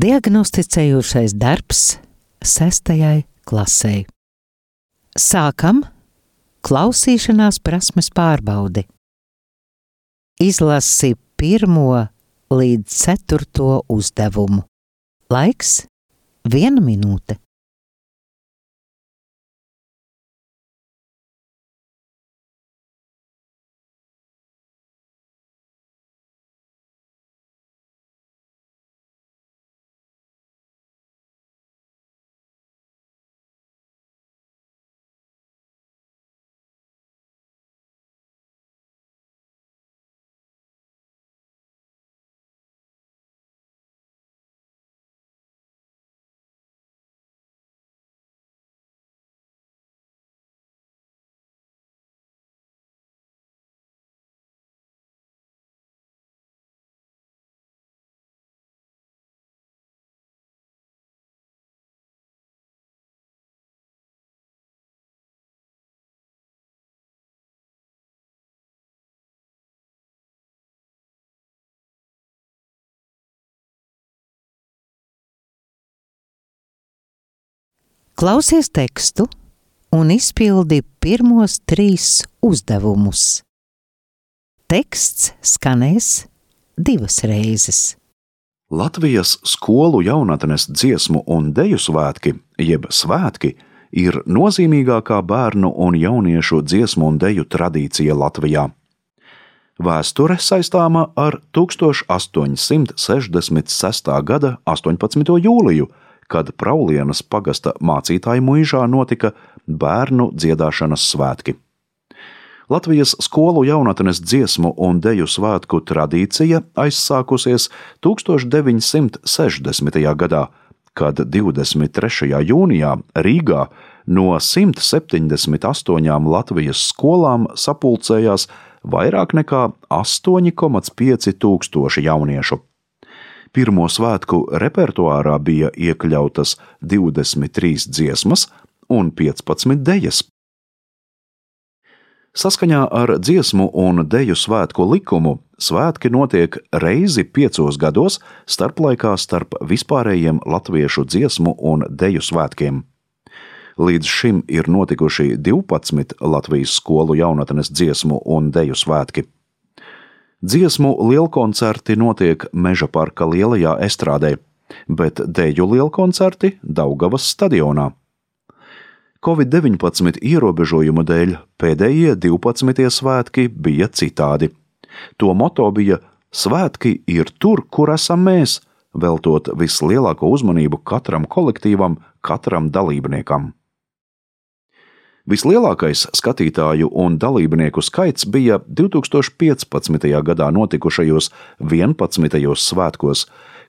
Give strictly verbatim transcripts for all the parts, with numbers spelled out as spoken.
Diagnosticējošais darbs sestajai klasei. Sākam klausīšanās prasmes pārbaudi. Izlasi pirmo līdz ceturto uzdevumu. Laiks viena minūte. Klausies tekstu un izpildi pirmos trīs uzdevumus. Teksts skanēs divas reizes. Latvijas skolu jaunatnes dziesmu un deju svētki, jeb svētki, ir nozīmīgākā bērnu un jauniešu dziesmu un deju tradīcija Latvijā. Vēsture saistāma ar tukstāš astoņsimt sešdesmit sestā gada astoņpadsmito jūliju, kad Praulienas pagasta mācītāju muižā notika bērnu dziedāšanas svētki. Latvijas skolu jaunatnes dziesmu un deju svētku tradīcija aizsākusies tukstāš deviņsimt sešdesmitajā gadā, kad divdesmit trešajā jūnijā Rīgā no simt septiņdesmit astoņām Latvijas skolām sapulcējās vairāk nekā astoņi komats pieci tūkstoši jauniešu. Pirmo svētku repertuārā bija iekļautas divdesmit trīs dziesmas un piecpadsmit dejas. Saskaņā ar dziesmu un deju svētku likumu svētki notiek reizi piecos gados starplaikā starp vispārējiem latviešu dziesmu un deju svētkiem. Līdz šim ir notikuši divpadsmit Latvijas skolu jaunatnes dziesmu un deju svētki. Dziesmu lielkoncerti notiek Meža parka lielajā estrādē, bet deju lielkoncerti Daugavas stadionā. covid deviņpadsmit ierobežojumu dēļ pēdējie divpadsmitie svētki bija citādi. To moto bija "Svētki ir tur, kur esam mēs", veltot vislielāko uzmanību katram kolektīvam, katram dalībniekam. Vislielākais skatītāju un dalībnieku skaits bija divtūkstoš piecpadsmitajā gadā notikušajos vienpadsmitajos svētkos,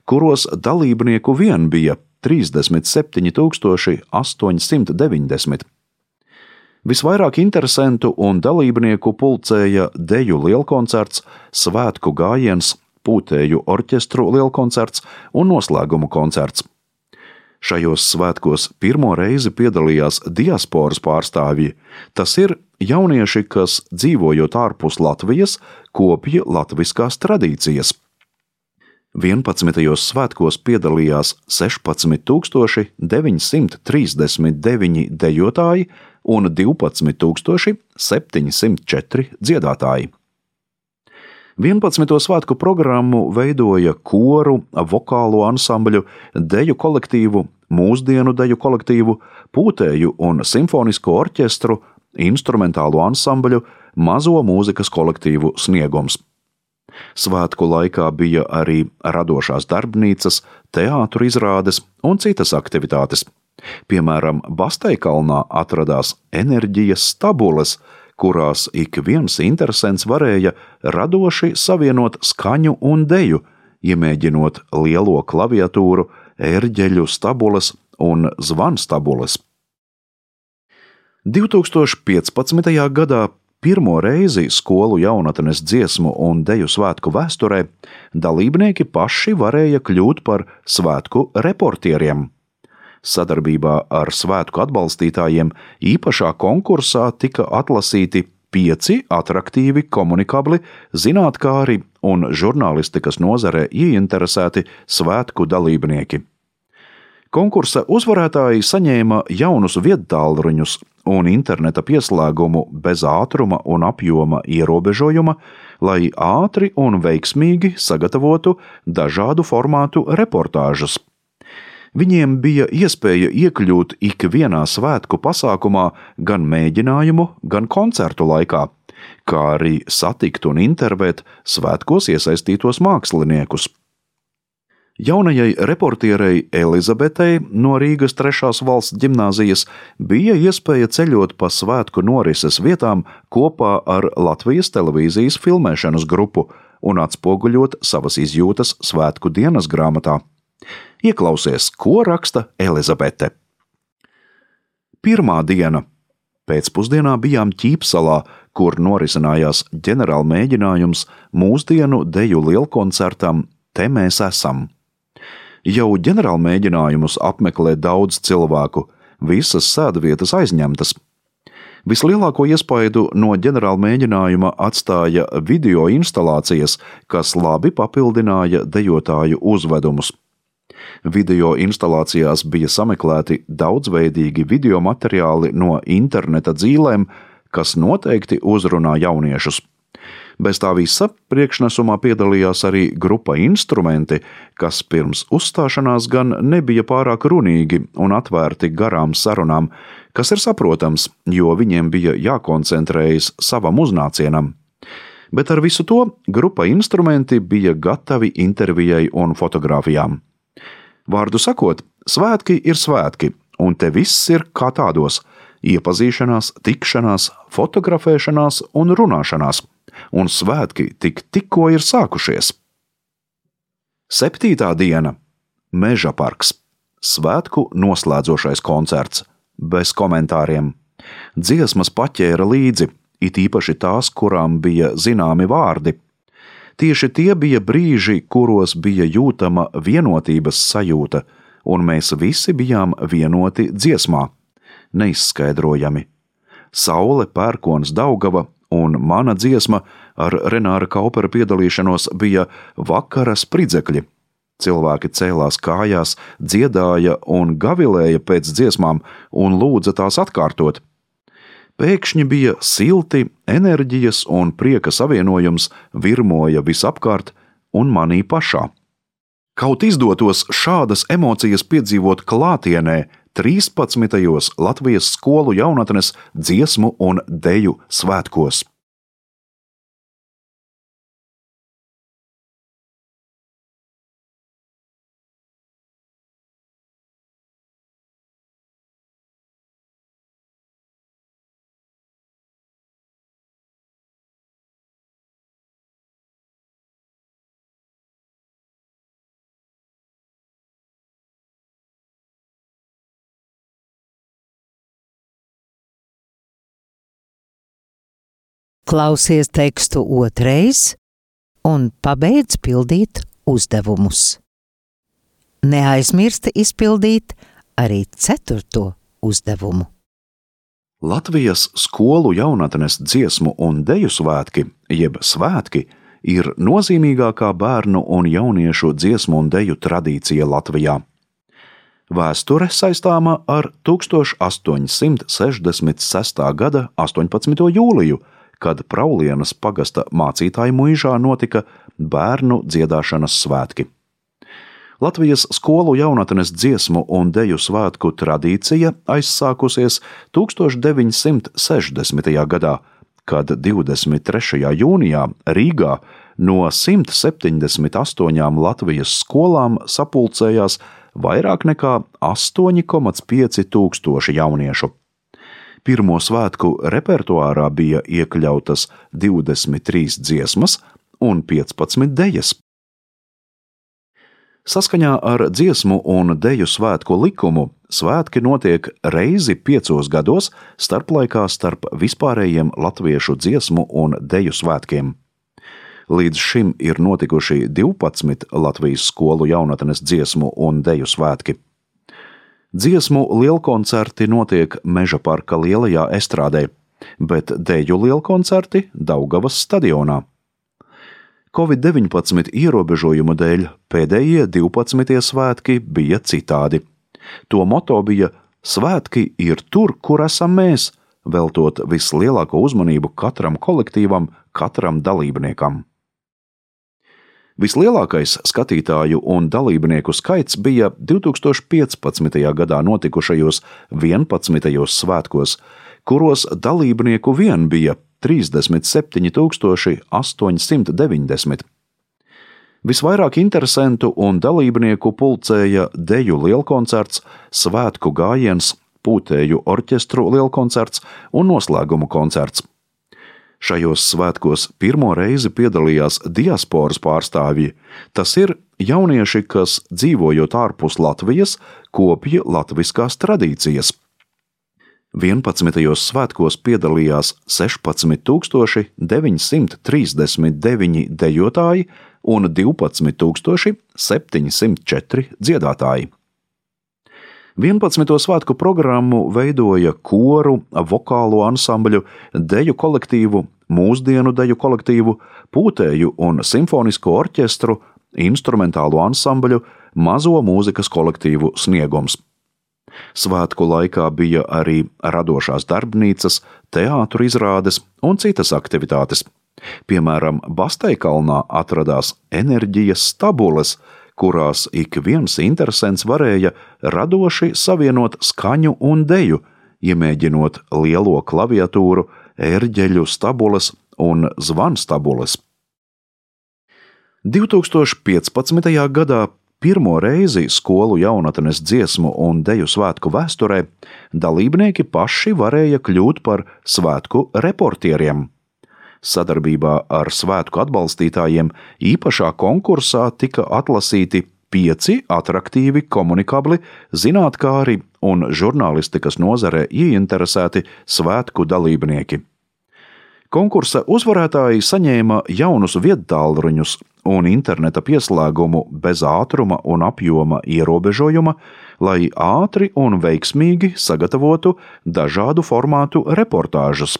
kuros dalībnieku vien bija trīsdesmit septiņi tūkstoši astoņsimt deviņdesmit. Visvairāk interesentu un dalībnieku pulcēja deju lielkoncerts, svētku gājiens, pūtēju orķestru lielkoncerts un noslēgumu koncerts. Šajos svētkos pirmo reizi piedalījās diasporas pārstāvji, tas ir jaunieši, kas, dzīvojot ārpus Latvijas, kopja latviskās tradīcijas. vienpadsmitajos svētkos piedalījās sešpadsmit tūkstoši deviņsimt trīsdesmit deviņi dejotāji un divpadsmit tūkstoši septiņsimt četri dziedātāji. vienpadsmito svētku programmu veidoja koru, vokālo ansambļu, deju kolektīvu, mūsdienu deju kolektīvu, pūtēju un simfonisko orķestru, instrumentālo ansambļu, mazo mūzikas kolektīvu Sniegums. Svētku laikā bija arī radošās darbnīcas, teātru izrādes un citas aktivitātes. Piemēram, Basteikalnā atradās enerģijas stabules, kurās ik viens interesents varēja radoši savienot skaņu un deju, iemēģinot lielo klaviatūru, ērģeļu stabules un zvanstabules. divtūkstoš piecpadsmitajā gadā pirmo reizi skolu jaunatnes dziesmu un deju svētku vēsturē dalībnieki paši varēja kļūt par svētku reportieriem. Sadarbībā ar svētku atbalstītājiem īpašā konkursā tika atlasīti pieci atraktīvi, komunikabli, zinātkāri un žurnālistikas nozarē ieinteresēti svētku dalībnieki. Konkursa uzvarētāji saņēma jaunus viedtālruņus un interneta pieslēgumu bez ātruma un apjoma ierobežojuma, lai ātri un veiksmīgi sagatavotu dažādu formātu reportāžas. Viņiem bija iespēja iekļūt ikvienā svētku pasākumā gan mēģinājumu, gan koncertu laikā, kā arī satikt un intervēt svētkos iesaistītos māksliniekus. Jaunajai reportierei Elizabetei no Rīgas trešās valsts ģimnāzijas bija iespēja ceļot pa svētku norises vietām kopā ar Latvijas televīzijas filmēšanas grupu un atspoguļot savas izjūtas svētku dienas grāmatā. Ieklausies, ko raksta Elizabete. Pirmā diena. Pēcpusdienā bijām Ķīpsalā, kur norisinājās ģenerāla mēģinājums mūsdienu deju lielkoncertam Te mēs esam. Jau ģenerāla mēģinājumus apmeklē daudz cilvēku, visas sēdvietas aizņemtas. Vislielāko iespaidu no ģenerāla mēģinājuma atstāja video instalācijas, kas labi papildināja dejotāju uzvedumus. Video instalācijās bija sameklēti daudzveidīgi video materiāli no interneta dzīlēm, kas noteikti uzrunā jauniešus. Bez tā visa priekšnesumā piedalījās arī grupa Instrumenti, kas pirms uzstāšanās gan nebija pārāk runīgi un atvērti garām sarunām, kas ir saprotams, jo viņiem bija jākoncentrējas savam uznācienam. Bet ar visu to grupa Instrumenti bija gatavi intervijai un fotogrāfijām. Vārdu sakot, svētki ir svētki, un te viss ir kā tādos – iepazīšanās, tikšanās, fotografēšanās un runāšanās. Un svētki tik tikko ir sākušies. Septītā diena. Meža parks. Svētku noslēdzošais koncerts. Bez komentāriem. Dziesmas paķēra līdzi, it īpaši tās, kurām bija zināmi vārdi. Tieši tie bija brīži, kuros bija jūtama vienotības sajūta, un mēs visi bijām vienoti dziesmā. Neizskaidrojami. Saule, pērkons, Daugava un mana dziesma ar Renāra Kaupera piedalīšanos bija vakara spridzekļi. Cilvēki cēlās kājās, dziedāja un gavilēja pēc dziesmām un lūdza tās atkārtot. Pēkšņi bija silti, enerģijas un prieka savienojums virmoja visapkārt un manī pašā. Kaut izdotos šādas emocijas piedzīvot klātienē trīspadsmitajos Latvijas skolu jaunatnes dziesmu un deju svētkos. Klausies tekstu otrais un pabeidz pildīt uzdevumus. Neaizmirsti izpildīt arī ceturto uzdevumu. Latvijas skolu jaunatnes dziesmu un deju svētki, jeb svētki, ir nozīmīgākā bērnu un jauniešu dziesmu un deju tradīcija Latvijā. Vēsture saistāma ar tuksstoš astoņsimt sešdesmit sestā gada astoņpadsmito jūliju, kad Praulienas pagasta mācītāju muižā notika bērnu dziedāšanas svētki. Latvijas skolu jaunatnes dziesmu un deju svētku tradīcija aizsākusies tuksstoš deviņsimt sešdesmitajā gadā, kad divdesmit trešajā jūnijā Rīgā no simt septiņdesmit astoņām Latvijas skolām sapulcējās vairāk nekā astoņi komats pieci tūkstoši jauniešu. Pirmo svētku repertuārā bija iekļautas divdesmit trīs dziesmas un piecpadsmit dejas. Saskaņā ar dziesmu un deju svētku likumu svētki notiek reizi piecos gados starplaikā starp vispārējiem latviešu dziesmu un deju svētkiem. Līdz šim ir notikuši divpadsmit Latvijas skolu jaunatnes dziesmu un deju svētki. Dziesmu lielkoncerti notiek Meža parka lielajā estrādē. bet deju lielkoncerti Daugavas stadionā. covid deviņpadsmit ierobežojumu dēļ pēdējie divpadsmitie svētki bija citādi. To moto bija "Svētki ir tur, kur esam mēs", veltot vislielāko uzmanību katram kolektīvam, katram dalībniekam. Vislielākais skatītāju un dalībnieku skaits bija divtūkstoš piecpadsmitajā gadā notikušajos vienpadsmitajos svētkos, kuros dalībnieku vien bija trīsdesmit septiņi tūkstoši astoņsimt deviņdesmit. Visvairāk interesentu un dalībnieku pulcēja deju lielkoncerts, svētku gājiens, pūtēju orķestru lielkoncerts un noslēguma koncerts. Šajos svētkos pirmo reizi piedalījās diasporas pārstāvji, tas ir jaunieši, kas, dzīvojot ārpus Latvijas, kopja latviskās tradīcijas. vienpadsmitajos svētkos piedalījās sešpadsmit tūkstoši deviņsimt trīsdesmit deviņi dejotāji un divpadsmit tūkstoši septiņsimt četri dziedātāji. vienpadsmito svētku programmu veidoja koru, vokālo ansambļu, deju kolektīvu, mūsdienu deju kolektīvu, pūtēju un simfonisko orķestru, instrumentālo ansambļu, mazo mūzikas kolektīvu Sniegums. Svētku laikā bija arī radošās darbnīcas, teātru izrādes un citas aktivitātes. Piemēram, Basteikalnā atradās enerģijas stabules, kurās ik viens interesents varēja radoši savienot skaņu un deju, iemēģinot lielo klaviatūru, ērģeļu stabules un zvanstabules. divtūkstoš piecpadsmitajā gadā pirmo reizi skolu jaunatnes dziesmu un deju svētku vēsturē dalībnieki paši varēja kļūt par svētku reportieriem. Sadarbībā ar svētku atbalstītājiem īpašā konkursā tika atlasīti pieci atraktīvi, komunikabli, zinātkāri un žurnālistikas nozarē ieinteresēti svētku dalībnieki. Konkursa uzvarētāji saņēma jaunus viedtālruņus un interneta pieslēgumu bez ātruma un apjoma ierobežojuma, lai ātri un veiksmīgi sagatavotu dažādu formātu reportāžas.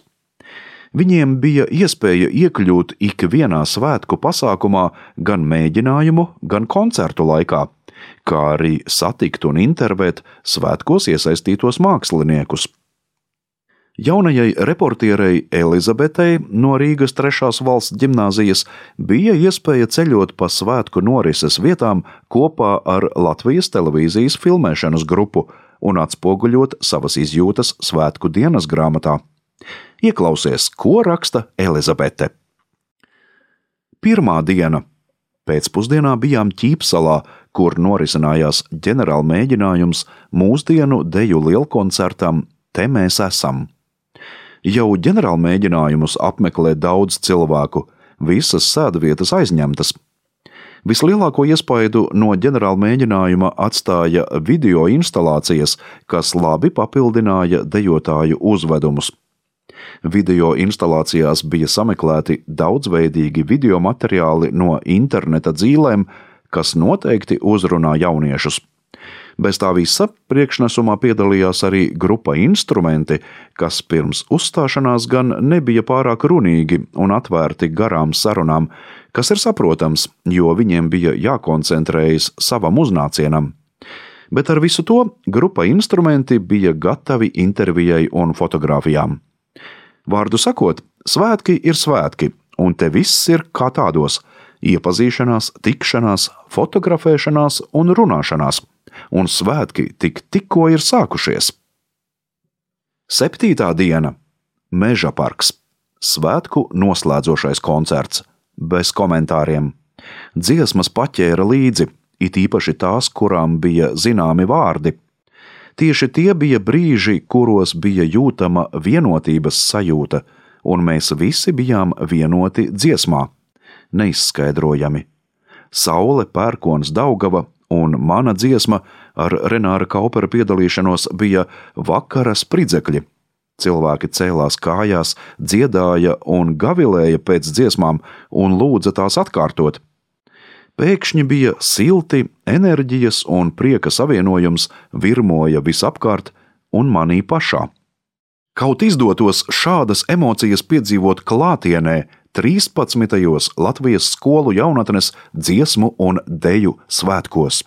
Viņiem bija iespēja iekļūt ikvienā svētku pasākumā gan mēģinājumu, gan koncertu laikā, kā arī satikt un intervēt svētkos iesaistītos māksliniekus. Jaunajai reportierei Elizabetei no Rīgas trešās valsts ģimnāzijas bija iespēja ceļot pa svētku norises vietām kopā ar Latvijas televīzijas filmēšanas grupu un atspoguļot savas izjūtas svētku dienas grāmatā. Ieklausies, ko raksta Elizabete. Pirmā diena. Pēcpusdienā bijām Ķīpsalā, kur norisinājās ģenerāla mēģinājums mūsdienu deju lielkoncertam Te mēs esam. Jau ģenerāla mēģinājumus apmeklē daudz cilvēku, visas sēdvietas aizņemtas. Vislielāko iespaidu no ģenerāla mēģinājuma atstāja video instalācijas, kas labi papildināja dejotāju uzvedumus. Video instalācijās bija sameklēti daudzveidīgi video materiāli no interneta dzīlēm, kas noteikti uzrunā jauniešus. Bez tā visa priekšnesumā piedalījās arī grupa Instrumenti, kas pirms uzstāšanās gan nebija pārāk runīgi un atvērti garām sarunām, kas ir saprotams, jo viņiem bija jākoncentrējas savam uznācienam. Bet ar visu to grupa Instrumenti bija gatavi intervijai un fotogrāfijām. Vārdu sakot, svētki ir svētki, un te viss ir kā tādos – iepazīšanās, tikšanās, fotografēšanās un runāšanās. Un svētki tik tikko ir sākušies. Septītā diena. Meža parks. Svētku noslēdzošais koncerts. Bez komentāriem. Dziesmas paķēra līdzi, it īpaši tās, kurām bija zināmi vārdi. Tieši tie bija brīži, kuros bija jūtama vienotības sajūta, un mēs visi bijām vienoti dziesmā. Neizskaidrojami. Saule, pērkons, Daugava un mana dziesma ar Renāra Kaupera piedalīšanos bija vakara spridzekļi. Cilvēki cēlās kājās, dziedāja un gavilēja pēc dziesmām un lūdza tās atkārtot. Pēkšņi bija silti, enerģijas un prieka savienojums virmoja visapkārt un manī pašā. Kaut izdotos šādas emocijas piedzīvot klātienē trīspadsmitajos Latvijas skolu jaunatnes dziesmu un deju svētkos.